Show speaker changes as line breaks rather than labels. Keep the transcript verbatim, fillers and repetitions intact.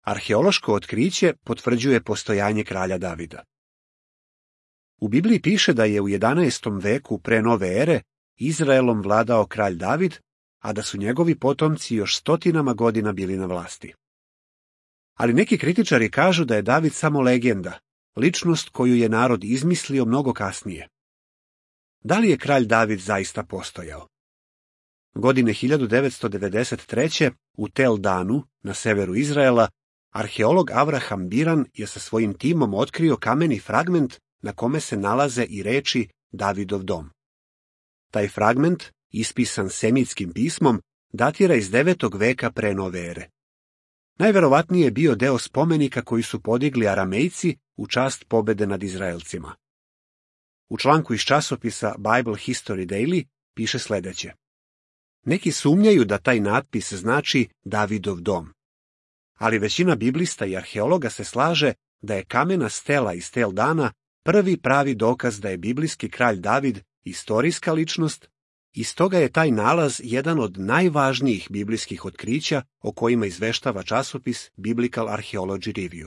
Arheološko otkriće potvrđuje postojanje kralja Davida. U Bibliji piše da je u jedanaestom veku pre nove ere Izraelom vladao kralj David, a da su njegovi potomci još stotinama godina bili na vlasti. Ali neki kritičari kažu da je David samo legenda, ličnost koju je narod izmislio mnogo kasnije. Da li je kralj David zaista postojao? Godine hiljadu devetsto devedeset treće u Tel Danu, na severu Izraela, arheolog Avraham Biran je sa svojim timom otkrio kameni fragment na kome se nalaze i reči Davidov dom. Taj fragment, ispisan semitskim pismom, datira iz devetog veka pre nove ere. Najverovatnije je bio deo spomenika koji su podigli Aramejci u čast pobede nad Izraelcima. U članku iz časopisa Bible History Daily piše sledeće. Neki sumnjaju da taj natpis znači Davidov dom. Ali većina biblista i arheologa se slaže da je kamena stela iz Tel Dana prvi pravi dokaz da je biblijski kralj David istorijska ličnost, i stoga je taj nalaz jedan od najvažnijih biblijskih otkrića o kojima izveštava časopis Biblical Archaeology Review.